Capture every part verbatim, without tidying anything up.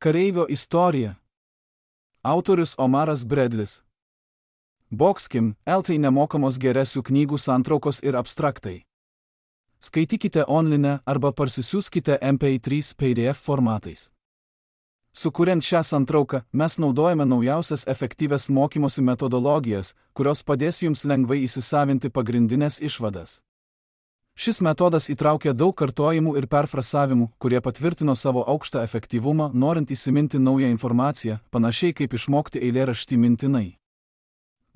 Kareivio istorija. Autorius Omaras Bradlis. Boxkim, eltai nemokamos geresių knygų santraukos ir abstraktai. Skaitykite online arba parsisiųskite M P trys P D F formatais. Sukuriant šią santrauką, mes naudojame naujausias efektyvias mokymosi metodologijas, kurios padės jums lengvai įsisavinti pagrindinės išvadas. Šis metodas įtraukia daug kartojimų ir perfrasavimų, kurie patvirtino savo aukštą efektyvumą, norint įsiminti naują informaciją, panašiai kaip išmokti eilėraštį mintinai.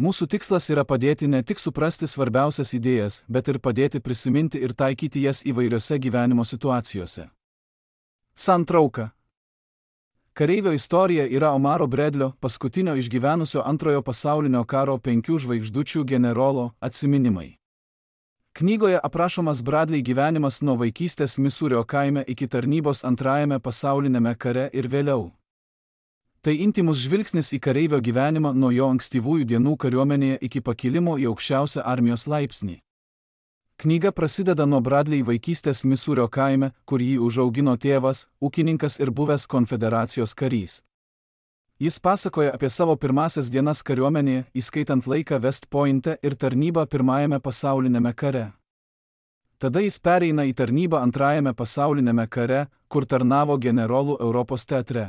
Mūsų tikslas yra padėti ne tik suprasti svarbiausias idėjas, bet ir padėti prisiminti ir taikyti jas įvairiose gyvenimo situacijose. Santrauka. Kareivio istorija yra Omaro Bradlio, paskutinio išgyvenusio antrojo pasaulinio karo penkių žvaigždučių generolo, atsiminimai. Knygoje aprašomas Bradley gyvenimas nuo vaikystės Misūrio kaime iki tarnybos antrajame pasauliniame kare ir vėliau. Tai intymus žvilgsnis į kareivio gyvenimą nuo jo ankstyvųjų dienų kariuomenėje iki pakilimo į aukščiausią armijos laipsnį. Knyga prasideda nuo Bradley vaikystės Misūrio kaime, kur jį užaugino tėvas, ūkininkas ir buvęs konfederacijos karys. Jis pasakoja apie savo pirmąsias dienas kariuomenėje, įskaitant laiką West Pointe ir tarnybą pirmajame pasaulinėme kare. Tada jis pereina į tarnybą antrajame pasaulinėme kare, kur tarnavo generolų Europos teatre.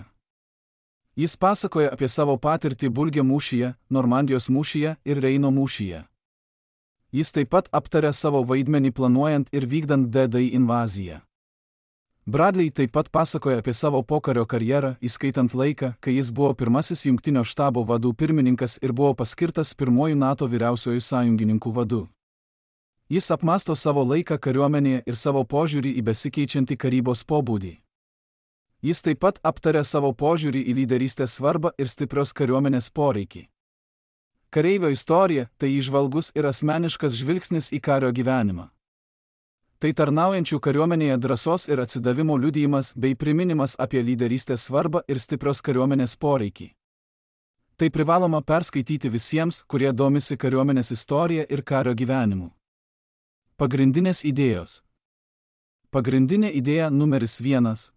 Jis pasakoja apie savo patirtį Bulge mūšyje, Normandijos mūšyje ir Reino mūšyje. Jis taip pat aptaria savo vaidmenį planuojant ir vykdant D-Day invaziją. Bradley taip pat pasakoja apie savo pokario karjerą, įskaitant laiką, kai jis buvo pirmasis jungtinio štabo vadų pirmininkas ir buvo paskirtas pirmuoju NATO vyriausiuoju sąjungininkų vadu. Jis apmąsto savo laiką kariuomenėje ir savo požiūrį į besikeičiantį karybos pobūdį. Jis taip pat aptaria savo požiūrį į lyderystės svarbą ir stiprios kariuomenės poreikį. Kareivio istorija – tai įžvalgus ir asmeniškas žvilgsnis į kario gyvenimą. Tai tarnaujančių kariuomenėje drąsos ir atsidavimo liudijimas bei priminimas apie lyderystės svarbą ir stiprios kariuomenės poreikį. Tai privaloma perskaityti visiems, kurie domisi kariuomenės istorija ir kario gyvenimu. Pagrindinės idėjos. Pagrindinė idėja numeris vienas.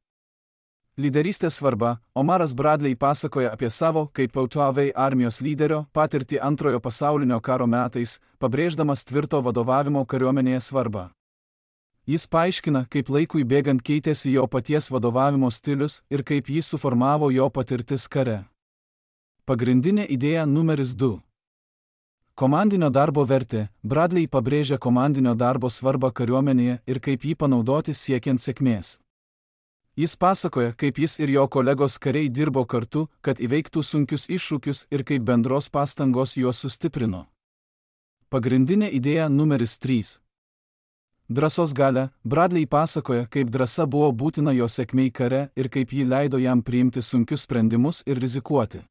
Lyderystės svarba. Omaras Bradley pasakoja apie savo, kaip Autovei armijos lyderio, patirtį antrojo pasaulinio karo metais, pabrėždamas tvirto vadovavimo kariuomenėje svarbą. Jis paaiškina, kaip laikui bėgant keitėsi jo paties vadovavimo stilius ir kaip jį suformavo jo patirtis kare. Pagrindinė idėja numeris du. Komandinio darbo vertė. Bradley pabrėžia komandinio darbo svarbą kariuomenėje ir kaip jį panaudoti siekiant sėkmės. Jis pasakoja, kaip jis ir jo kolegos kariai dirbo kartu, kad įveiktų sunkius iššūkius ir kaip bendros pastangos juos sustiprino. Pagrindinė idėja numeris trys. Drąsos galia. Bradley pasakoja, kaip drąsa buvo būtina jo sėkmei kare ir kaip ji leido jam priimti sunkius sprendimus ir rizikuoti.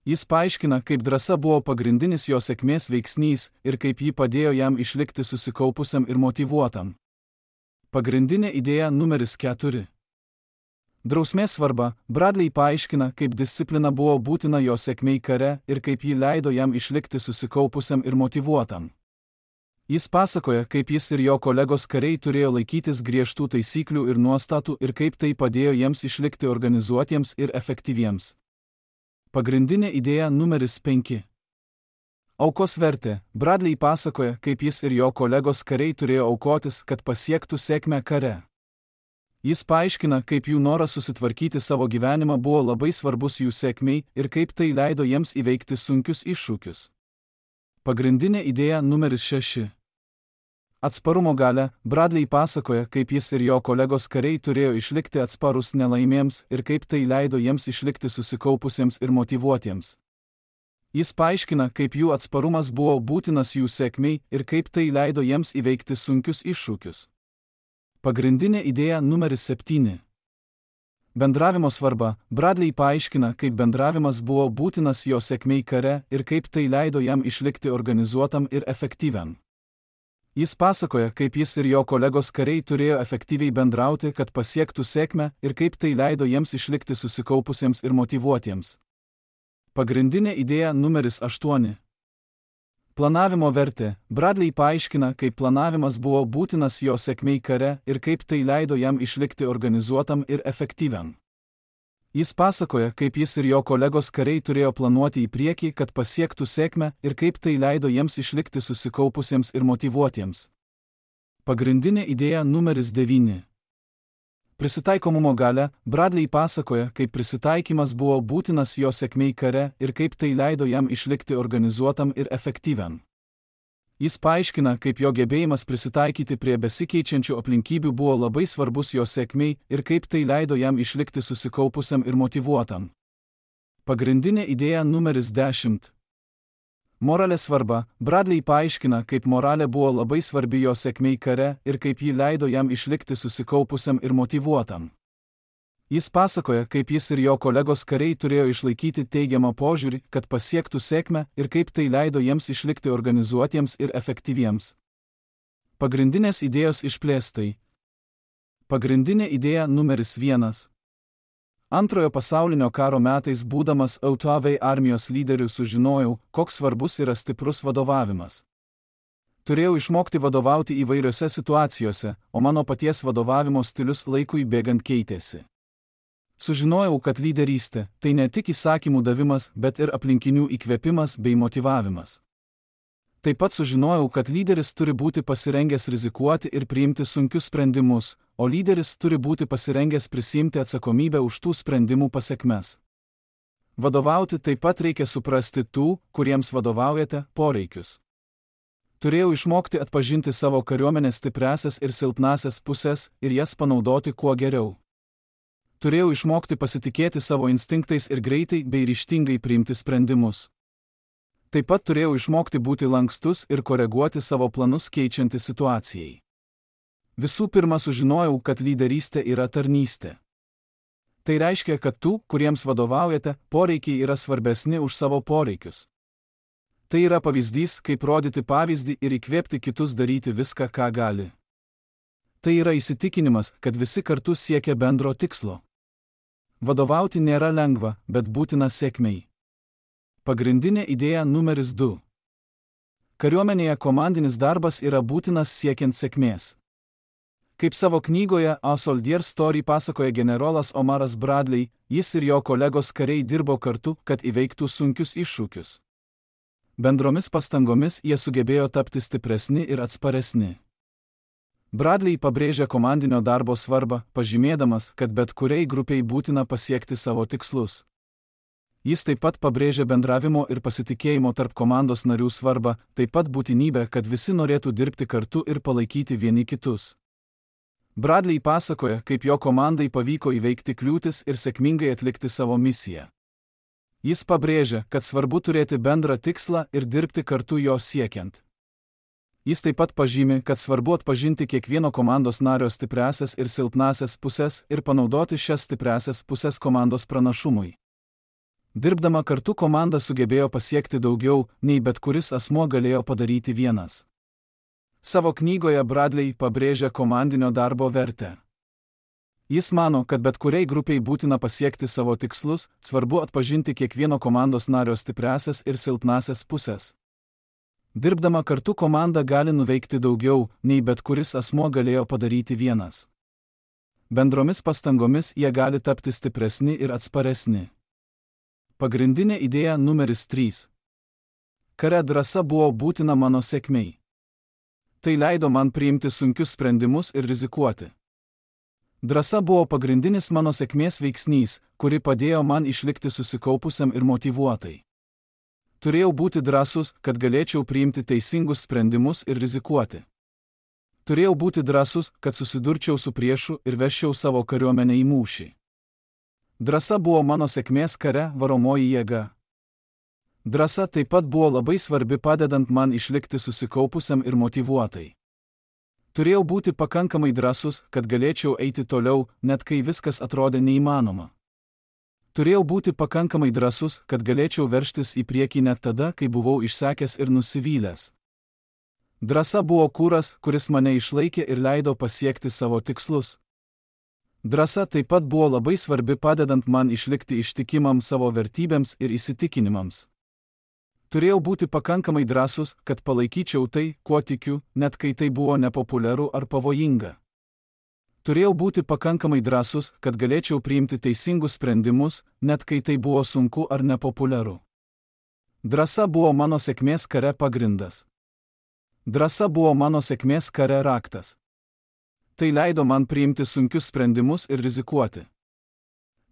Jis paaiškina, kaip drąsa buvo pagrindinis jo sėkmės veiksnys ir kaip ji padėjo jam išlikti susikaupusiam ir motyvuotam. Pagrindinė idėja numeris keturi. Drausmės svarba. Bradley paaiškina, kaip disciplina buvo būtina jo sėkmei kare ir kaip ji leido jam išlikti susikaupusiam ir motyvuotam. Jis pasakoja, kaip jis ir jo kolegos kariai turėjo laikytis griežtų taisyklių ir nuostatų ir kaip tai padėjo jiems išlikti organizuotiems ir efektyviems. Pagrindinė idėja numeris penki. Aukos vertė. Bradley pasakoja, kaip jis ir jo kolegos kariai turėjo aukotis, kad pasiektų sėkmę kare. Jis paaiškina, kaip jų noras susitvarkyti savo gyvenimą buvo labai svarbus jų sėkmei ir kaip tai leido jiems įveikti sunkius iššūkius. Pagrindinė idėja numeris šeši. Atsparumo galia. Bradley pasakoja, kaip jis ir jo kolegos kariai turėjo išlikti atsparus nelaimėms ir kaip tai leido jiems išlikti susikaupusiems ir motyvuotiems. Jis paaiškina, kaip jų atsparumas buvo būtinas jų sėkmei ir kaip tai leido jiems įveikti sunkius iššūkius. Pagrindinė idėja numeris septyni. Bendravimo svarba. Bradley paaiškina, kaip bendravimas buvo būtinas jo sėkmei kare ir kaip tai leido jam išlikti organizuotam ir efektyviam. Jis pasakoja, kaip jis ir jo kolegos kariai turėjo efektyviai bendrauti, kad pasiektų sėkmę ir kaip tai leido jiems išlikti susikaupusiems ir motyvuotiems. Pagrindinė idėja numeris aštuoni. Planavimo vertė. Bradley paaiškina, kaip planavimas buvo būtinas jo sėkmei kare ir kaip tai leido jam išlikti organizuotam ir efektyviam. Jis pasakoja, kaip jis ir jo kolegos kariai turėjo planuoti į priekį, kad pasiektų sėkmę ir kaip tai leido jiems išlikti susikaupusiems ir motyvuotiems. Pagrindinė idėja numeris devyni. Prisitaikomumo galia. Bradley pasakoja, kaip prisitaikymas buvo būtinas jo sėkmei kare ir kaip tai leido jam išlikti organizuotam ir efektyviam. Jis paaiškina, kaip jo gebėjimas prisitaikyti prie besikeičiančių aplinkybių buvo labai svarbus jo sėkmei ir kaip tai leido jam išlikti susikaupusiam ir motyvuotam. Pagrindinė idėja numeris dešimt. Moralės svarba. Bradley paaiškina, kaip moralė buvo labai svarbi jo sėkmei kare ir kaip ji leido jam išlikti susikaupusiam ir motyvuotam. Jis pasakoja, kaip jis ir jo kolegos kariai turėjo išlaikyti teigiamą požiūrį, kad pasiektų sėkmę ir kaip tai leido jiems išlikti organizuotiems ir efektyviems. Pagrindinės idėjos išplėstai. Pagrindinė idėja numeris vienas. Antrojo pasaulinio karo metais būdamas Autovei armijos lyderiu sužinojau, koks svarbus yra stiprus vadovavimas. Turėjau išmokti vadovauti įvairiose situacijose, o mano paties vadovavimo stilius laikui bėgant keitėsi. Sužinojau, kad lyderystė – tai ne tik įsakymų davimas, bet ir aplinkinių įkvėpimas bei motyvavimas. Taip pat sužinojau, kad lyderis turi būti pasirengęs rizikuoti ir priimti sunkius sprendimus, o lyderis turi būti pasirengęs prisiimti atsakomybę už tų sprendimų pasekmes. Vadovauti taip pat reikia suprasti tų, kuriems vadovaujate, poreikius. Turėjau išmokti atpažinti savo kariuomenės stipriąsias ir silpnąsias pusės ir jas panaudoti kuo geriau. Turėjau išmokti pasitikėti savo instinktais ir greitai bei ryžtingai priimti sprendimus. Taip pat turėjau išmokti būti lankstus ir koreguoti savo planus keičiantis situacijai. Visų pirma sužinojau, kad lyderystė yra tarnystė. Tai reiškia, kad tų, kuriems vadovaujate, poreikiai yra svarbesni už savo poreikius. Tai yra pavyzdys, kaip rodyti pavyzdį ir įkvėpti kitus daryti viską, ką gali. Tai yra įsitikinimas, kad visi kartu siekia bendro tikslo. Vadovauti nėra lengva, bet būtina sėkmei. Pagrindinė idėja numeris du. Kariuomenėje komandinis darbas yra būtinas siekiant sėkmės. Kaip savo knygoje A Soldier Story pasakoja generolas Omaras Bradley, jis ir jo kolegos kariai dirbo kartu, kad įveiktų sunkius iššūkius. Bendromis pastangomis jie sugebėjo tapti stipresni ir atsparesni. Bradley pabrėžia komandinio darbo svarbą, pažymėdamas, kad bet kuriai grupiai būtina pasiekti savo tikslus. Jis taip pat pabrėžia bendravimo ir pasitikėjimo tarp komandos narių svarbą, taip pat būtinybę, kad visi norėtų dirbti kartu ir palaikyti vieni kitus. Bradley pasakoja, kaip jo komandai pavyko įveikti kliūtis ir sėkmingai atlikti savo misiją. Jis pabrėžia, kad svarbu turėti bendrą tikslą ir dirbti kartu jo siekiant. Jis taip pat pažymi, kad svarbu atpažinti kiekvieno komandos nario stipriąsias ir silpnąsias pusės ir panaudoti šias stipriąsias pusės komandos pranašumui. Dirbdama kartu komanda sugebėjo pasiekti daugiau, nei bet kuris asmuo galėjo padaryti vienas. Savo knygoje Bradley pabrėžia komandinio darbo vertę. Jis mano, kad bet kuriai grupiai būtina pasiekti savo tikslus, svarbu atpažinti kiekvieno komandos nario stipriąsias ir silpnąsias pusės. Dirbdama kartu komanda gali nuveikti daugiau, nei bet kuris asmuo galėjo padaryti vienas. Bendromis pastangomis jie gali tapti stipresni ir atsparesni. Pagrindinė idėja numeris trys. Kare drąsa buvo būtina mano sėkmei. Tai leido man priimti sunkius sprendimus ir rizikuoti. Drąsa buvo pagrindinis mano sėkmės veiksnys, kuri padėjo man išlikti susikaupusiam ir motyvuotai. Turėjau būti drąsus, kad galėčiau priimti teisingus sprendimus ir rizikuoti. Turėjau būti drąsus, kad susidurčiau su priešu ir veščiau savo kariuomenę į mūšį. Drąsa buvo mano sėkmės kare varomoji jėga. Drąsa taip pat buvo labai svarbi padedant man išlikti susikaupusiam ir motyvuotai. Turėjau būti pakankamai drąsus, kad galėčiau eiti toliau, net kai viskas atrodė neįmanoma. Turėjau būti pakankamai drąsus, kad galėčiau veržtis į priekį net tada, kai buvau išsekęs ir nusivylęs. Drąsa buvo kūras, kuris mane išlaikė ir leido pasiekti savo tikslus. Drąsa taip pat buvo labai svarbi padedant man išlikti ištikimam savo vertybėms ir įsitikinimams. Turėjau būti pakankamai drąsus, kad palaikyčiau tai, kuo tikiu, net kai tai buvo nepopuliaru ar pavojinga. Turėjau būti pakankamai drąsus, kad galėčiau priimti teisingus sprendimus, net kai tai buvo sunku ar nepopuliaru. Drąsa buvo mano sėkmės kare pagrindas. Drąsa buvo mano sėkmės kare raktas. Tai leido man priimti sunkius sprendimus ir rizikuoti.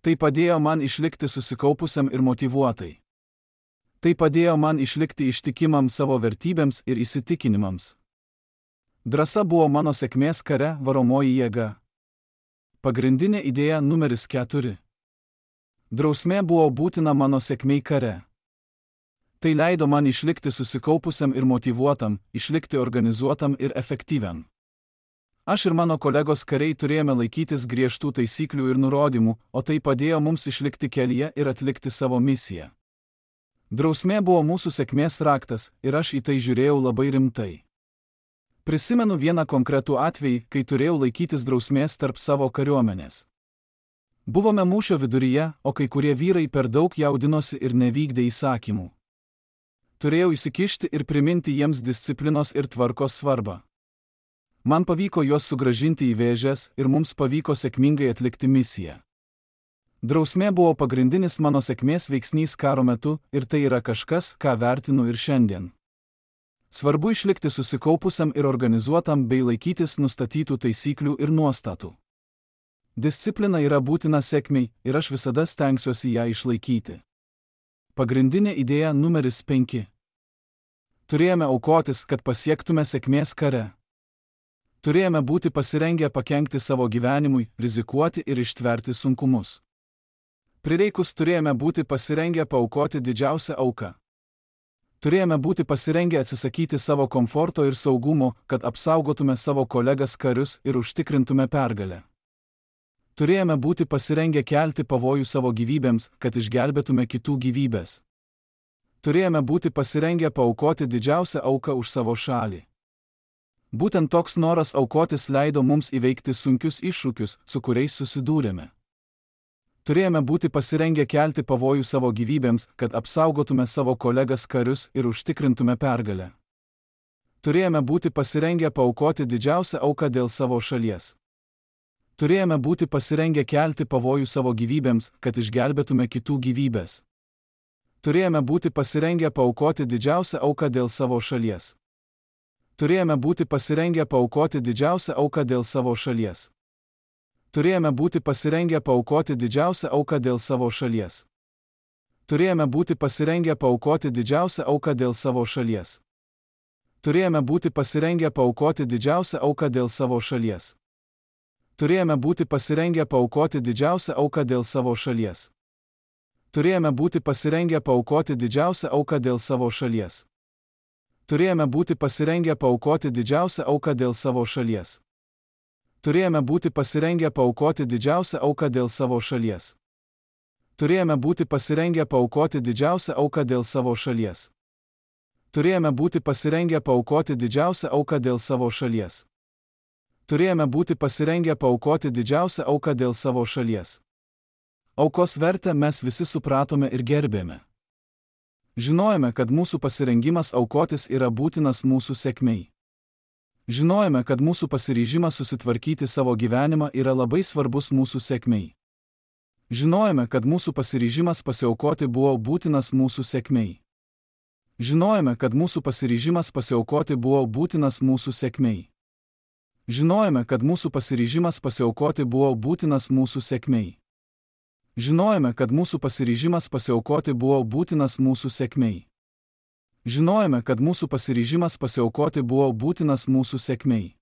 Tai padėjo man išlikti susikaupusiam ir motyvuotai. Tai padėjo man išlikti ištikimam savo vertybėms ir įsitikinimams. Drąsa buvo mano sėkmės kare varomoji jėga. Pagrindinė idėja numeris keturi. Drausmė buvo būtina mano sėkmei kare. Tai leido man išlikti susikaupusiam ir motyvuotam, išlikti organizuotam ir efektyviam. Aš ir mano kolegos kariai turėjome laikytis griežtų taisyklių ir nurodymų, o tai padėjo mums išlikti kelyje ir atlikti savo misiją. Drausmė buvo mūsų sėkmės raktas ir aš į tai žiūrėjau labai rimtai. Prisimenu vieną konkretų atvejį, kai turėjau laikytis drausmės tarp savo kariuomenės. Buvome mūšio viduryje, o kai kurie vyrai per daug jaudinosi ir nevykdė įsakymų. Turėjau įsikišti ir priminti jiems disciplinos ir tvarkos svarbą. Man pavyko juos sugrąžinti į vėžes ir mums pavyko sėkmingai atlikti misiją. Drausmė buvo pagrindinis mano sėkmės veiksnys karo metu ir tai yra kažkas, ką vertinu ir šiandien. Svarbu išlikti susikaupusiam ir organizuotam bei laikytis nustatytų taisyklių ir nuostatų. Disciplina yra būtina sėkmei ir aš visada stengsiuosi ją išlaikyti. Pagrindinė idėja numeris penki. Turėjome aukotis, kad pasiektume sėkmės kare. Turėjome būti pasirengę pakenkti savo gyvenimui, rizikuoti ir ištverti sunkumus. Prireikus turėjome būti pasirengę paaukoti didžiausią auką. Turėjome būti pasirengę atsisakyti savo komforto ir saugumo, kad apsaugotume savo kolegas karius ir užtikrintume pergalę. Turėjome būti pasirengę kelti pavojų savo gyvybėms, kad išgelbėtume kitų gyvybės. Turėjome būti pasirengę paaukoti didžiausią auką už savo šalį. Būtent toks noras aukotis leido mums įveikti sunkius iššūkius, su kuriais susidūrėme. Turėjome būti pasirengę kelti pavojų savo gyvybėms, kad apsaugotume savo kolegas karius ir užtikrintume pergalę. Turėjome būti pasirengę paaukoti didžiausią auką dėl savo šalies. Turėjome būti pasirengę kelti pavojų savo gyvybėms, kad išgelbėtume kitų gyvybės. Turėjome būti pasirengę paaukoti didžiausią auką dėl savo šalies. Turėjome būti pasirengę paaukoti didžiausią auką dėl savo šalies. Turėjome būti pasirengę paaukoti didžiausią auką dėl savo šalies. Turėjome būti pasirengę paaukoti didžiausią auką dėl savo šalies. Turėjome būti pasirengę paaukoti didžiausią auką dėl savo šalies. Turėjome būti pasirengę paaukoti didžiausią auką dėl savo šalies. Turėjome būti pasirengę paaukoti didžiausią auką dėl savo šalies. Turėjome būti pasirengę paaukoti didžiausią auką dėl savo šalies. Turėjome būti pasirengę paaukoti didžiausią auką dėl savo šalies. Turėjome būti pasirengę paaukoti didžiausią auką dėl savo šalies. Turėjome būti pasirengę paaukoti didžiausią auką dėl savo šalies. Turėjome būti pasirengę paaukoti didžiausią auką dėl savo šalies. Aukos vertę mes visi supratome ir gerbėme. Žinojome, kad mūsų pasirengimas aukotis yra būtinas mūsų sėkmei. Žinojome, kad mūsų pasiryžimas susitvarkyti savo gyvenimą yra labai svarbus mūsų sėkmei. Žinojome, kad mūsų pasiryžimas pasiaukoti buvo būtinas mūsų sėkmei. Žinojome, kad mūsų pasiryžimas pasiaukoti buvo būtinas mūsų sėkmei. Žinojome, kad mūsų pasiryžimas pasiaukoti buvo būtinas mūsų sėkmei. Žinojome, kad mūsų pasiryžimas pasiaukoti buvo būtinas mūsų sėkmei. Žinojome, kad mūsų pasiryžimas pasiaukoti buvo būtinas mūsų sėkmei.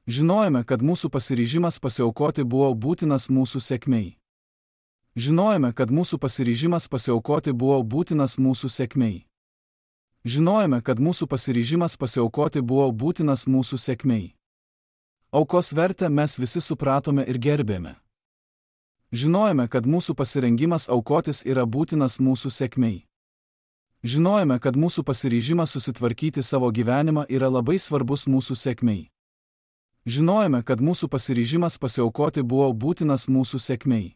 Žinojome, kad mūsų pasiryžimas pasiaukoti buvo būtinas mūsų sėkmei. Žinojome, kad mūsų pasiryžimas pasiaukoti buvo būtinas mūsų sėkmei. Žinojome, kad mūsų pasiryžimas pasiaukoti buvo būtinas mūsų sėkmei. Aukos vertę mes visi supratome ir gerbėme. Žinojome, kad mūsų pasirengimas aukotis yra būtinas mūsų sėkmei. Žinojome, kad mūsų pasiryžimas susitvarkyti savo gyvenimą yra labai svarbus mūsų sėkmei. Žinojome, kad mūsų pasiryžimas pasiaukoti buvo būtinas mūsų sėkmei.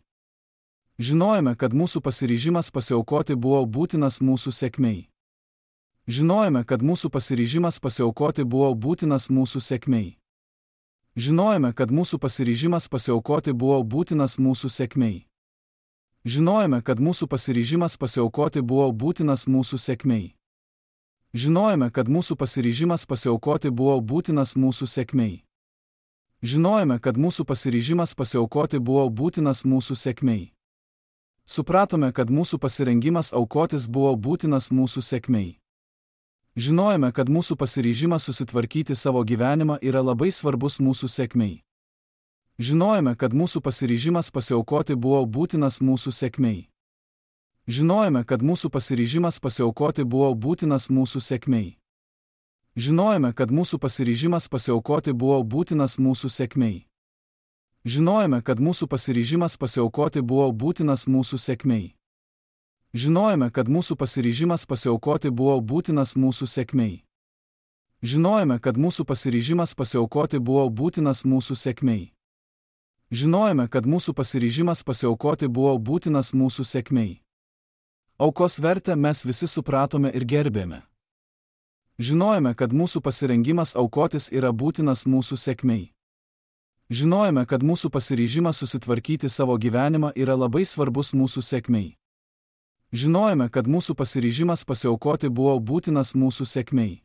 Žinojome, kad mūsų pasiryžimas pasiaukoti buvo būtinas mūsų sėkmei. Žinojome, kad mūsų pasiryžimas pasiaukoti buvo būtinas mūsų sėkmei. Žinojome, kad mūsų pasiryžimas pasiaukoti buvo būtinas mūsų sėkmei. Žinojome, kad mūsų pasiryžimas pasiaukoti buvo būtinas mūsų sėkmei. Žinojome, kad mūsų pasiryžimas pasiaukoti buvo būtinas mūsų sėkmei. Žinojome, kad mūsų pasiryžimas pasiaukoti buvo būtinas mūsų sėkmei. Supratome, kad mūsų pasirengimas aukotis buvo būtinas mūsų sėkmei. Žinojome, kad mūsų pasiryžimas susitvarkyti savo gyvenimą yra labai svarbus mūsų sėkmei. Žinojome, kad mūsų pasiryžimas pasiaukoti buvo būtinas mūsų sėkmei. Žinojome, kad mūsų pasiryžimas pasiaukoti buvo būtinas mūsų sėkmei. Žinojome, kad mūsų pasiryžimas pasiaukoti buvo būtinas mūsų sėkmei. Žinojome, kad mūsų pasiryžimas pasiaukoti buvo būtinas mūsų sėkmei. Žinojome, kad mūsų pasiryžimas pasiaukoti buvo būtinas mūsų sėkmei. Žinojome, kad mūsų pasiryžimas pasiaukoti buvo būtinas mūsų sėkmei. Žinojome, kad mūsų pasiryžimas pasiaukoti buvo būtinas mūsų sėkmei. Aukos vertę mes visi supratome ir gerbėme. Žinojome, kad mūsų pasirengimas aukotis yra būtinas mūsų sėkmei. Žinojome, kad mūsų pasiryžimas susitvarkyti savo gyvenimą yra labai svarbus mūsų sėkmei. Žinojome, kad mūsų pasiryžimas pasiaukoti buvo būtinas mūsų sėkmei.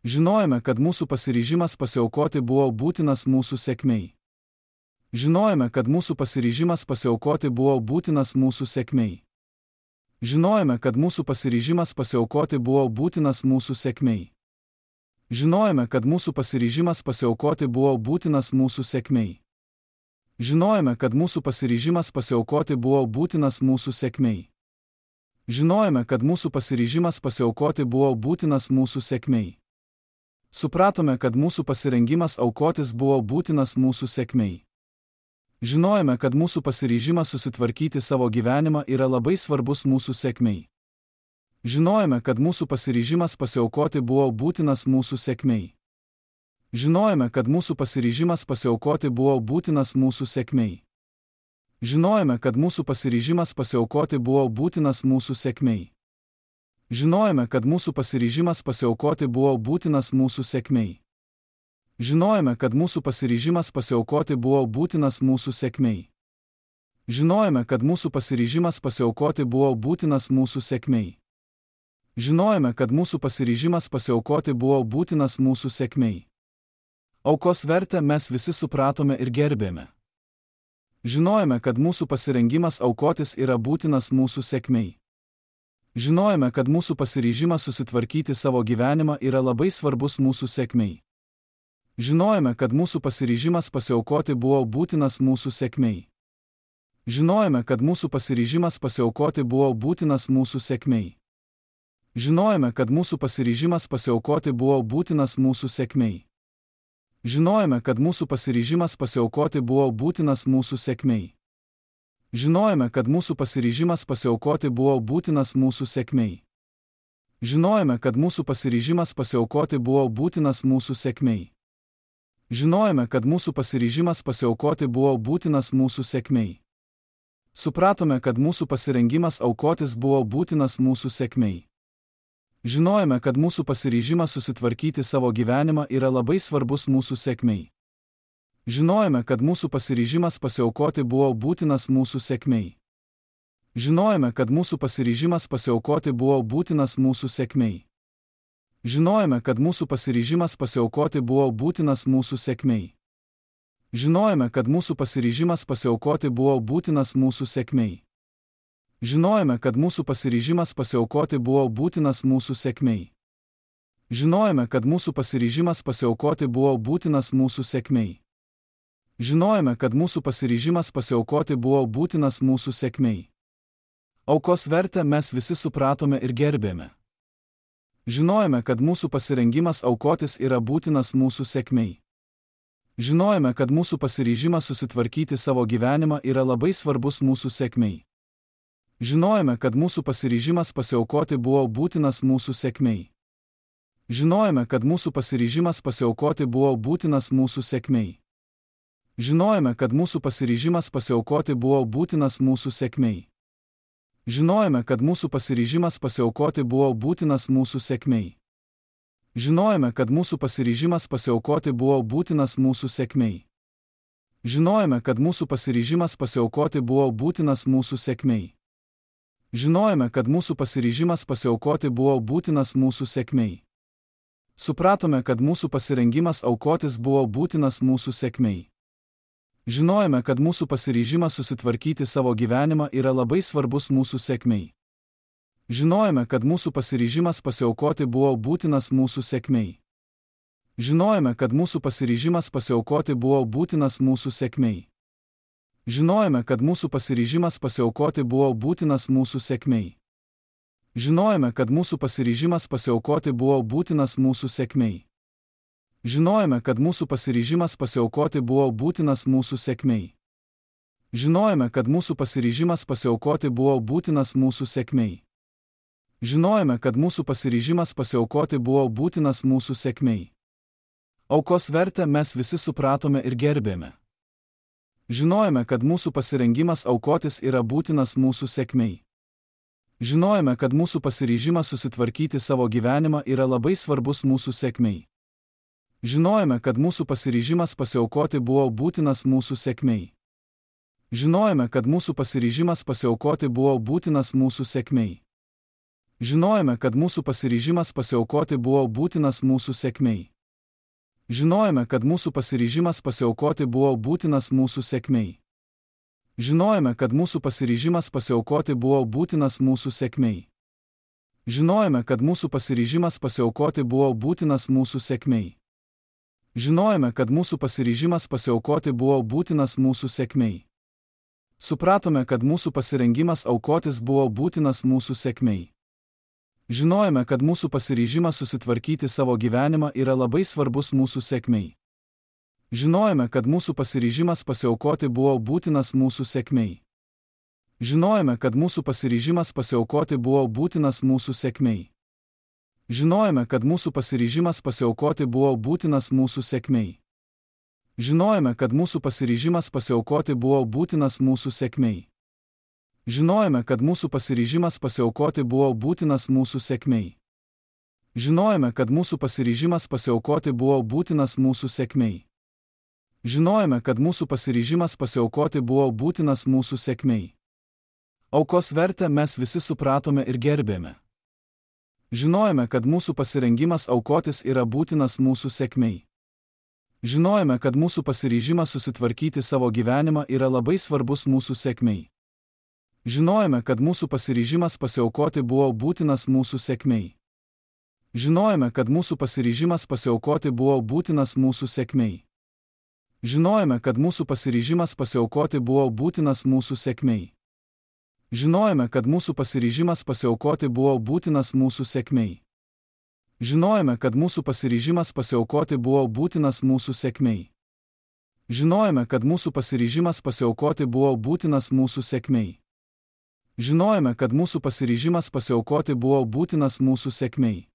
Žinojome, kad mūsų pasiryžimas pasiaukoti buvo būtinas mūsų sėkmei. Žinojome, kad mūsų pasiryžimas pasiaukoti buvo būtinas mūsų sėkmei. Žinojome, kad mūsų pasiryžimas pasiaukoti buvo būtinas mūsų sėkmei. Žinojome, kad mūsų pasiryžimas pasiaukoti buvo būtinas mūsų sėkmei. Žinojome, kad mūsų pasiryžimas pasiaukoti buvo būtinas mūsų sėkmei. Žinojome, kad mūsų pasiryžimas pasiaukoti buvo būtinas mūsų sėkmei. Supratome, kad mūsų pasirengimas aukotis buvo būtinas mūsų sėkmei. Žinojome, kad mūsų pasiryžimas susitvarkyti savo gyvenimą yra labai svarbus mūsų sėkmei. Žinojome, kad mūsų pasiryžimas pasiaukoti buvo būtinas mūsų sėkmei. Žinojome, kad mūsų pasiryžimas pasiaukoti buvo būtinas mūsų sėkmei. Žinojome, kad mūsų pasiryžimas pasiaukoti buvo būtinas mūsų sėkmei. Žinojome, kad mūsų pasiryžimas pasiaukoti buvo būtinas mūsų sėkmei. Žinojome, kad mūsų pasiryžimas pasiaukoti buvo būtinas mūsų sėkmei. Žinojome, kad mūsų pasiryžimas pasiaukoti buvo būtinas mūsų sėkmei. Žinojome, kad mūsų pasiryžimas pasiaukoti buvo būtinas mūsų sėkmei. Aukos vertę mes visi supratome ir gerbėme. Žinojome, kad mūsų pasirengimas aukotis yra būtinas mūsų sėkmei. Žinojome, kad mūsų pasiryžimas susitvarkyti savo gyvenimą yra labai svarbus mūsų sėkmei. Žinojome, kad mūsų pasiryžimas pasiaukoti buvo būtinas mūsų sėkmei. Žinojome, kad mūsų pasiryžimas pasiaukoti buvo būtinas mūsų sėkmei. Žinojome, kad mūsų pasiryžimas pasiaukoti buvo būtinas mūsų sėkmei. Žinojome, kad mūsų pasiryžimas pasiaukoti buvo būtinas mūsų sėkmei. Žinojome, kad mūsų pasiryžimas pasiaukoti buvo būtinas mūsų sėkmei. Žinojome, kad mūsų pasiryžimas pasiaukoti buvo būtinas mūsų sėkmei. Žinojome, kad mūsų pasiryžimas pasiaukoti buvo būtinas mūsų sėkmei. Supratome, kad mūsų pasirengimas aukotis buvo būtinas mūsų sėkmei. Žinojome, kad mūsų pasiryžimas susitvarkyti savo gyvenimą yra labai svarbus mūsų sėkmei. Žinojome, kad mūsų pasiryžimas pasiaukoti buvo būtinas mūsų sėkmei. Žinojome, kad mūsų pasiryžimas pasiaukoti buvo būtinas mūsų sėkmei. Žinojome, kad mūsų pasiryžimas pasiaukoti buvo būtinas mūsų sėkmei. Žinojome, kad mūsų pasiryžimas pasiaukoti buvo būtinas mūsų sėkmei. Žinojome, kad mūsų pasiryžimas pasiaukoti buvo būtinas mūsų sėkmei. Žinojome, kad mūsų pasiryžimas pasiaukoti buvo būtinas mūsų sėkmei. Žinojome, kad mūsų pasiryžimas pasiaukoti buvo būtinas mūsų sėkmei. Aukos vertę mes visi supratome ir gerbėme. Žinojome, kad mūsų pasirengimas aukotis yra būtinas mūsų sėkmei. Žinojome, kad mūsų pasiryžimas susitvarkyti savo gyvenimą yra labai svarbus mūsų sėkmei. Žinojome, kad mūsų pasiryžimas pasiaukoti buvo būtinas mūsų sėkmei. Žinojome, kad mūsų pasiryžimas pasiaukoti buvo būtinas mūsų sėkmei. Žinojome, kad mūsų pasiryžimas pasiaukoti buvo būtinas mūsų sėkmei. Žinojome, kad mūsų pasiryžimas pasiaukoti buvo būtinas mūsų sėkmei. Žinojome, kad mūsų pasiryžimas pasiaukoti buvo būtinas mūsų sėkmei. Žinojome, kad mūsų pasiryžimas pasiaukoti buvo būtinas mūsų sėkmei. Žinojome, kad mūsų pasiryžimas pasiaukoti buvo būtinas mūsų sėkmei. Supratome, kad mūsų pasirengimas aukotis buvo būtinas mūsų sėkmei. Žinojome, kad mūsų pasiryžimas susitvarkyti savo gyvenimą yra labai svarbus mūsų sėkmei. Žinojome, kad mūsų pasiryžimas pasiaukoti buvo būtinas mūsų sėkmei. Žinojome, kad mūsų pasiryžimas pasiaukoti buvo būtinas mūsų sėkmei. Žinojome, kad mūsų pasiryžimas pasiaukoti buvo būtinas mūsų sėkmei. Žinojome, kad mūsų pasiryžimas pasiaukoti buvo būtinas mūsų sėkmei. Žinojome, kad mūsų pasiryžimas pasiaukoti buvo būtinas mūsų sėkmei. Žinojome, kad mūsų pasiryžimas pasiaukoti buvo būtinas mūsų sėkmei. Žinojome, kad mūsų pasiryžimas pasiaukoti buvo būtinas mūsų sėkmei. Aukos vertę mes visi supratome ir gerbėme. Žinojome, kad mūsų pasirengimas aukotis yra būtinas mūsų sėkmei. Žinojome, kad mūsų pasiryžimas susitvarkyti savo gyvenimą yra labai svarbus mūsų sėkmei. Žinojome, kad mūsų pasiryžimas pasiaukoti buvo būtinas mūsų sėkmei. Žinojome, kad mūsų pasiryžimas pasiaukoti buvo būtinas mūsų sėkmei. Žinojome, kad mūsų pasiryžimas pasiaukoti buvo būtinas mūsų sėkmei. Žinojome, kad mūsų pasiryžimas pasiaukoti buvo būtinas mūsų sėkmei. Žinojome, kad mūsų pasiryžimas pasiaukoti buvo būtinas mūsų sėkmei. Žinojome, kad mūsų pasiryžimas pasiaukoti buvo būtinas mūsų sėkmei. Žinojome, kad mūsų pasiryžimas pasiaukoti buvo būtinas mūsų sėkmei. Supratome, kad mūsų pasirengimas aukotis buvo būtinas mūsų sėkmei. Žinojome, kad mūsų pasiryžimas susitvarkyti savo gyvenimą yra labai svarbus mūsų sėkmei. Žinojome, kad mūsų pasiryžimas pasiaukoti buvo būtinas mūsų sėkmei. Žinojome, kad mūsų pasiryžimas pasiaukoti buvo būtinas mūsų sėkmei. Žinojome, kad mūsų pasiryžimas pasiaukoti buvo būtinas mūsų sėkmei. Žinojome, kad mūsų pasiryžimas pasiaukoti buvo būtinas mūsų sėkmei. Žinojome, kad mūsų pasiryžimas pasiaukoti buvo būtinas mūsų sėkmei. Žinojome, kad mūsų pasiryžimas pasiaukoti buvo būtinas mūsų sėkmei. Žinojome, kad mūsų pasiryžimas pasiaukoti buvo būtinas mūsų sėkmei. Aukos vertę mes visi supratome ir gerbėme. Žinojome, kad mūsų pasirengimas aukotis yra būtinas mūsų sėkmei. Žinojome, kad mūsų pasiryžimas susitvarkyti savo gyvenimą yra labai svarbus mūsų sėkmei. Žinojome, kad mūsų pasiryžimas pasiaukoti buvo būtinas mūsų sėkmei. Žinojome, kad mūsų pasiryžimas pasiaukoti buvo būtinas mūsų sėkmei. Žinojome, kad mūsų pasiryžimas pasiaukoti buvo būtinas mūsų sėkmei. Žinojome, kad mūsų pasiryžimas pasiaukoti buvo būtinas mūsų sėkmei. Žinojome, kad mūsų pasiryžimas pasiaukoti buvo būtinas mūsų sėkmei. Žinojome, kad mūsų pasiryžimas pasiaukoti buvo būtinas mūsų sėkmei. Žinojome, kad mūsų pasiryžimas pasiaukoti buvo būtinas mūsų sėkmei.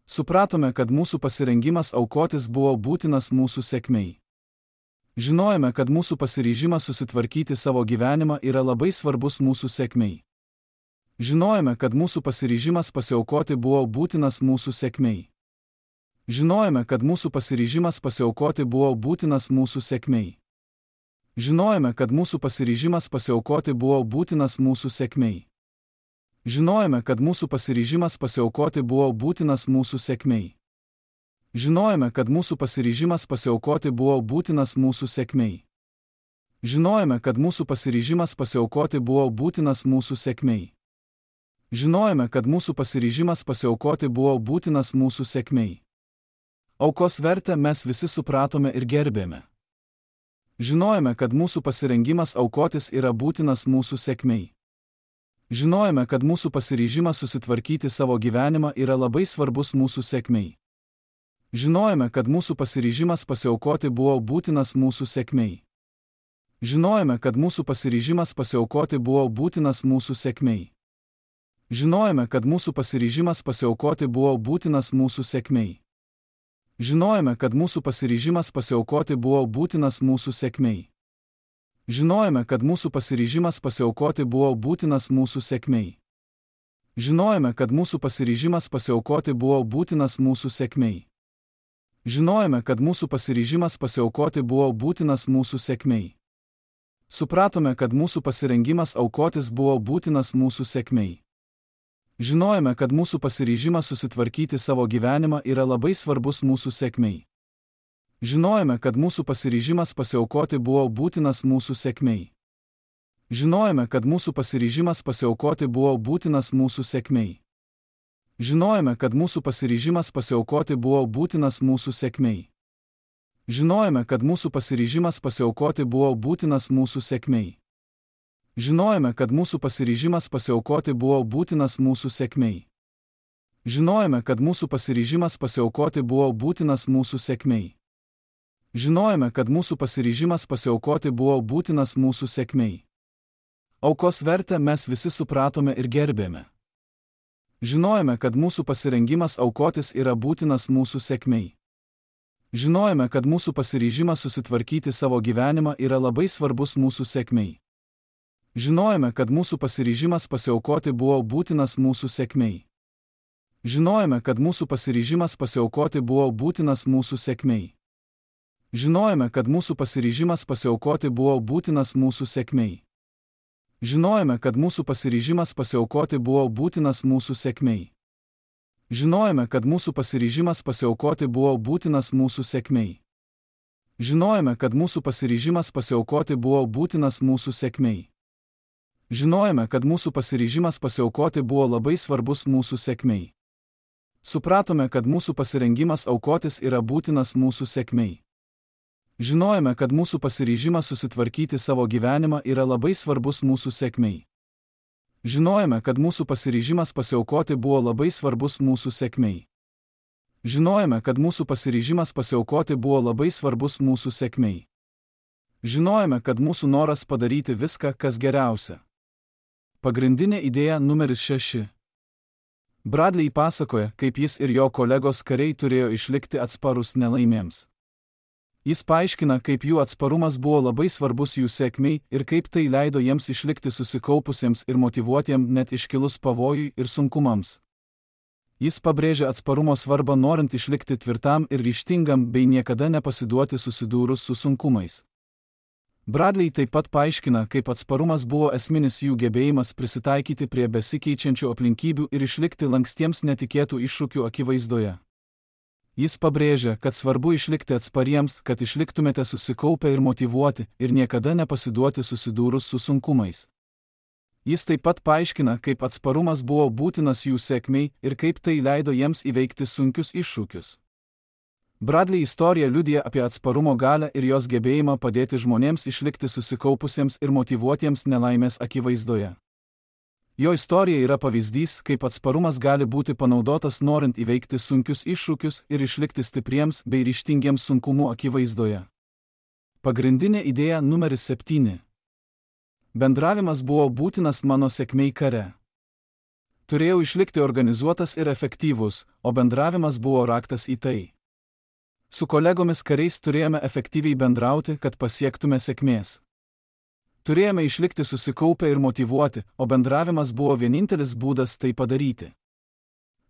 Supratome, kad mūsų pasirengimas aukotis buvo būtinas mūsų sėkmei. Žinojome, kad mūsų pasiryžimas susitvarkyti savo gyvenimą yra labai svarbus mūsų sėkmei. Žinojome, kad mūsų pasiryžimas pasiaukoti buvo būtinas mūsų sėkmei. Žinojome, kad mūsų pasiryžimas pasiaukoti buvo būtinas mūsų sėkmei. Žinojome, kad mūsų pasiryžimas pasiaukoti buvo būtinas mūsų sėkmei. Žinojome, kad mūsų pasiryžimas pasiaukoti buvo būtinas mūsų sėkmei. Žinojome, kad mūsų pasiryžimas pasiaukoti buvo būtinas mūsų sėkmei. Žinojome, kad mūsų pasiryžimas pasiaukoti buvo būtinas mūsų sėkmei. Žinojome, kad mūsų pasiryžimas pasiaukoti buvo būtinas mūsų sėkmei. Aukos vertę mes visi supratome ir gerbėme. Žinojome, kad mūsų pasirengimas aukotis yra būtinas mūsų sėkmei. Žinojome, kad mūsų pasiryžimas susitvarkyti savo gyvenimą yra labai svarbus mūsų sėkmei. Žinojome, kad mūsų pasiryžimas pasiaukoti buvo būtinas mūsų sėkmei. Žinojome, kad mūsų pasiryžimas pasiaukoti buvo būtinas mūsų sėkmei. Žinojome, kad mūsų pasiryžimas pasiaukoti buvo būtinas mūsų sėkmei. Žinojome, kad mūsų pasiryžimas pasiaukoti buvo būtinas mūsų sėkmei. Žinojome, kad mūsų pasiryžimas pasiaukoti buvo būtinas mūsų sėkmei. Žinojome, kad mūsų pasiryžimas pasiaukoti buvo būtinas mūsų sėkmei. Žinojome, kad mūsų pasiryžimas pasiaukoti buvo būtinas mūsų sėkmei. Supratome, kad mūsų pasirengimas aukotis buvo būtinas mūsų sėkmei. Žinojome, kad mūsų pasiryžimas susitvarkyti savo gyvenimą yra labai svarbus mūsų sėkmei. Žinojome, kad mūsų pasiryžimas pasiaukoti buvo būtinas mūsų sėkmei. Žinojome, kad mūsų pasiryžimas pasiaukoti buvo būtinas mūsų sėkmei. Žinojome, kad mūsų pasiryžimas pasiaukoti buvo būtinas mūsų sėkmei. Žinojome, kad mūsų pasiryžimas pasiaukoti buvo būtinas mūsų sėkmei. Žinojome, kad mūsų pasiryžimas pasiaukoti buvo būtinas mūsų sėkmei. Žinojome, kad mūsų pasiryžimas pasiaukoti buvo būtinas mūsų sėkmei. Žinojome, kad mūsų pasiryžimas pasiaukoti buvo būtinas mūsų sėkmei. Aukos vertę mes visi supratome ir gerbėme. Žinojome, kad mūsų pasirengimas aukotis yra būtinas mūsų sėkmei. Žinojome, kad mūsų pasiryžimas susitvarkyti savo gyvenimą yra labai svarbus mūsų sėkmei. Žinojome, kad mūsų pasiryžimas pasiaukoti buvo būtinas mūsų sėkmei. Žinojome, kad mūsų pasiryžimas pasiaukoti buvo būtinas mūsų sėkmei. Žinojome, kad mūsų pasiryžimas pasiaukoti buvo būtinas mūsų sėkmei. Žinojome, kad mūsų pasiryžimas pasiaukoti buvo būtinas mūsų sėkmei. Žinojome, kad mūsų pasiryžimas pasiaukoti buvo būtinas mūsų sėkmei. Žinojome, kad mūsų pasiryžimas pasiaukoti buvo būtinas mūsų sėkmei. Žinojome, kad mūsų pasiryžimas pasiaukoti buvo labai svarbus mūsų sėkmei. Supratome, kad mūsų pasirengimas aukotis yra būtinas mūsų sėkmei. Žinojome, kad mūsų pasiryžimas susitvarkyti savo gyvenimą yra labai svarbus mūsų sėkmei. Žinojome, kad mūsų pasiryžimas pasiaukoti buvo labai svarbus mūsų sėkmei. Žinojome, kad mūsų pasiryžimas pasiaukoti buvo labai svarbus mūsų sėkmei. Žinojome, kad mūsų noras padaryti viską, kas geriausia. Pagrindinė idėja numeris šeši. Bradley pasakoja, kaip jis ir jo kolegos kariai turėjo išlikti atsparus nelaimėms. Jis paaiškina, kaip jų atsparumas buvo labai svarbus jų sėkmei ir kaip tai leido jiems išlikti susikaupusiems ir motyvuotiems net iškilus pavojui ir sunkumams. Jis pabrėžia atsparumo svarbą norint išlikti tvirtam ir ryžtingam bei niekada nepasiduoti susidūrus su sunkumais. Bradley taip pat paaiškina, kaip atsparumas buvo esminis jų gebėjimas prisitaikyti prie besikeičiančių aplinkybių ir išlikti lankstiems netikėtų iššūkių akivaizdoje. Jis pabrėžia, kad svarbu išlikti atspariems, kad išliktumėte susikaupę ir motyvuoti ir niekada nepasiduoti susidūrus su sunkumais. Jis taip pat paaiškina, kaip atsparumas buvo būtinas jų sėkmei ir kaip tai leido jiems įveikti sunkius iššūkius. Bradley istorija liudija apie atsparumo galią ir jos gebėjimą padėti žmonėms išlikti susikaupusiems ir motyvuotiems nelaimės akivaizdoje. Jo istorija yra pavyzdys, kaip atsparumas gali būti panaudotas norint įveikti sunkius iššūkius ir išlikti stipriems bei ryžtingiems sunkumų akivaizdoje. Pagrindinė idėja numeris septyni. Bendravimas buvo būtinas mano sėkmei kare. Turėjau išlikti organizuotas ir efektyvus, o bendravimas buvo raktas į tai. Su kolegomis kariais turėjome efektyviai bendrauti, kad pasiektume sėkmės. Turėjome išlikti susikaupę ir motyvuoti, o bendravimas buvo vienintelis būdas tai padaryti.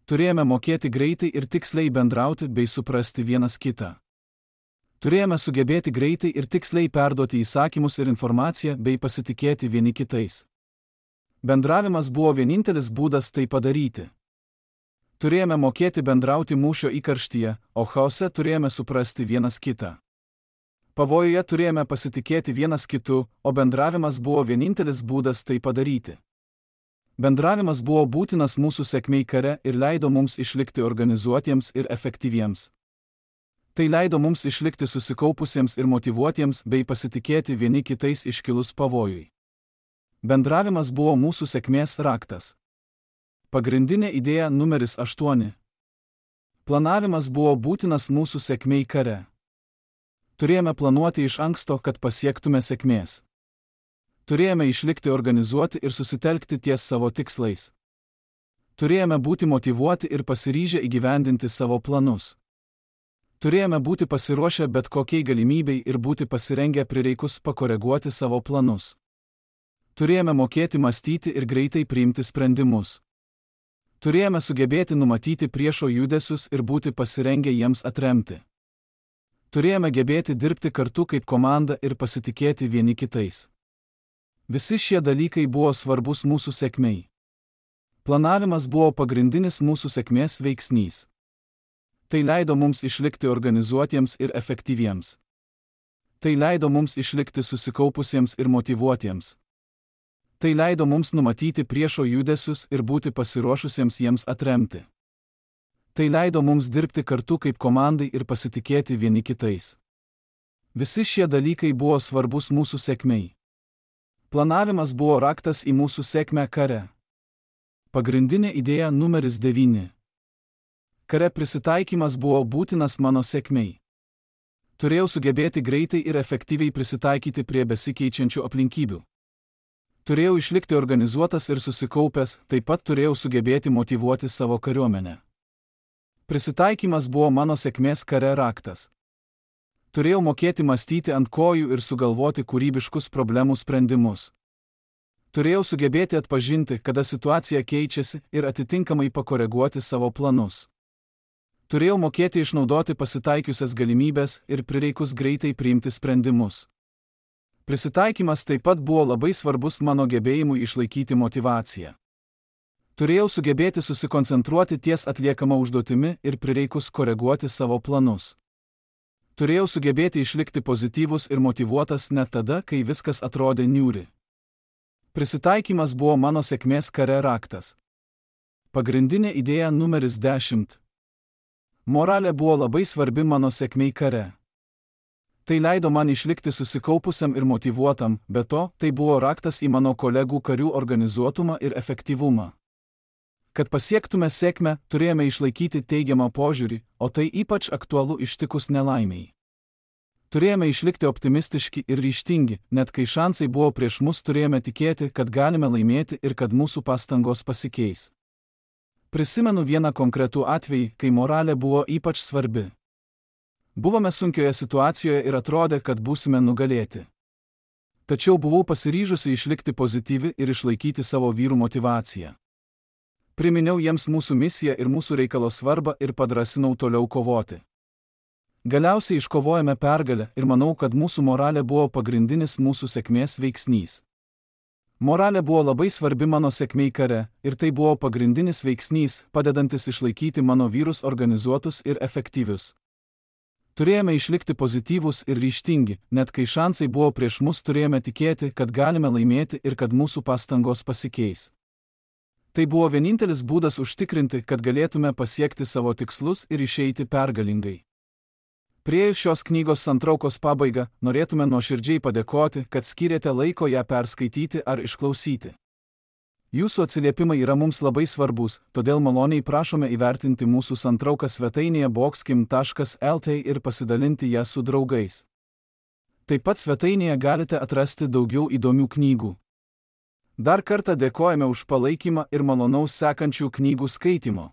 Turėjome mokėti greitai ir tiksliai bendrauti bei suprasti vienas kitą. Turėjome sugebėti greitai ir tiksliai perduoti įsakymus ir informaciją bei pasitikėti vieni kitais. Bendravimas buvo vienintelis būdas tai padaryti. Turėjome mokėti bendrauti mūšio įkarštyje, o chaose turėjome suprasti vienas kitą. Pavojuje turėjome pasitikėti vienas kitu, o bendravimas buvo vienintelis būdas tai padaryti. Bendravimas buvo būtinas mūsų sėkmei kare ir leido mums išlikti organizuotiems ir efektyviems. Tai leido mums išlikti susikaupusiems ir motyvuotiems bei pasitikėti vieni kitais iškilus pavojui. Bendravimas buvo mūsų sėkmės raktas. Pagrindinė idėja numeris aštuoni. Planavimas buvo būtinas mūsų sėkmei kare. Turėjome planuoti iš anksto, kad pasiektume sėkmės. Turėjome išlikti organizuoti ir susitelkti ties savo tikslais. Turėjome būti motyvuoti ir pasiryžę įgyvendinti savo planus. Turėjome būti pasiruošę bet kokiai galimybei ir būti pasirengę prireikus pakoreguoti savo planus. Turėjome mokėti mąstyti ir greitai priimti sprendimus. Turėjome sugebėti numatyti priešo judesius ir būti pasirengę jiems atremti. Turėjome gebėti dirbti kartu kaip komanda ir pasitikėti vieni kitais. Visi šie dalykai buvo svarbus mūsų sėkmei. Planavimas buvo pagrindinis mūsų sėkmės veiksnys. Tai leido mums išlikti organizuotiems ir efektyviems. Tai leido mums išlikti susikaupusiems ir motyvuotiems. Tai leido mums numatyti priešo judesius ir būti pasiruošusiems jiems atremti. Tai leido mums dirbti kartu kaip komandai ir pasitikėti vieni kitais. Visi šie dalykai buvo svarbus mūsų sėkmei. Planavimas buvo raktas į mūsų sėkmę kare. Pagrindinė idėja numeris devyni. Kare prisitaikymas buvo būtinas mano sėkmei. Turėjau sugebėti greitai ir efektyviai prisitaikyti prie besikeičiančių aplinkybių. Turėjau išlikti organizuotas ir susikaupęs, taip pat turėjau sugebėti motyvuoti savo kariuomenę. Prisitaikymas buvo mano sėkmės kare raktas. Turėjau mokėti mąstyti ant kojų ir sugalvoti kūrybiškus problemų sprendimus. Turėjau sugebėti atpažinti, kada situacija keičiasi ir atitinkamai pakoreguoti savo planus. Turėjau mokėti išnaudoti pasitaikiusias galimybės ir prireikus greitai priimti sprendimus. Prisitaikymas taip pat buvo labai svarbus mano gebėjimui išlaikyti motyvaciją. Turėjau sugebėti susikoncentruoti ties atliekama užduotimi ir prireikus koreguoti savo planus. Turėjau sugebėti išlikti pozityvus ir motyvuotas net tada, kai viskas atrodė niūri. Prisitaikymas buvo mano sėkmės kare raktas. Pagrindinė idėja numeris dešimt. Moralė buvo labai svarbi mano sėkmei kare. Tai leido man išlikti susikaupusiam ir motyvuotam, be to, tai buvo raktas į mano kolegų karių organizuotumą ir efektyvumą. Kad pasiektume sėkmę, turėjome išlaikyti teigiamą požiūrį, o tai ypač aktualu ištikus nelaimiai. Turėjome išlikti optimistiški ir ryžtingi, net kai šansai buvo prieš mus, turėjome tikėti, kad galime laimėti ir kad mūsų pastangos pasikeis. Prisimenu vieną konkretų atvejį, kai moralė buvo ypač svarbi. Buvome sunkioje situacijoje ir atrodė, kad būsime nugalėti. Tačiau buvau pasiryžusi išlikti pozityvi ir išlaikyti savo vyrų motyvaciją. Priminiau jiems mūsų misiją ir mūsų reikalo svarbą ir padrasinau toliau kovoti. Galiausiai iškovojame pergalę ir manau, kad mūsų moralė buvo pagrindinis mūsų sėkmės veiksnys. Moralė buvo labai svarbi mano sėkmei kare ir tai buvo pagrindinis veiksnys, padedantis išlaikyti mano vyrus organizuotus ir efektyvius. Turėjome išlikti pozityvūs ir ryžtingi, net kai šansai buvo prieš mus, turėjome tikėti, kad galime laimėti ir kad mūsų pastangos pasikeis. Tai buvo vienintelis būdas užtikrinti, kad galėtume pasiekti savo tikslus ir išeiti pergalingai. Priėjus šios knygos santraukos pabaigą, norėtume nuoširdžiai padėkoti, kad skyrėte laiko ją perskaityti ar išklausyti. Jūsų atsiliepimai yra mums labai svarbus, todėl maloniai prašome įvertinti mūsų santrauką svetainėje boxkim taškas el t ir pasidalinti ją su draugais. Taip pat svetainėje galite atrasti daugiau įdomių knygų. Dar kartą dėkojame už palaikymą ir malonaus sekančių knygų skaitimo.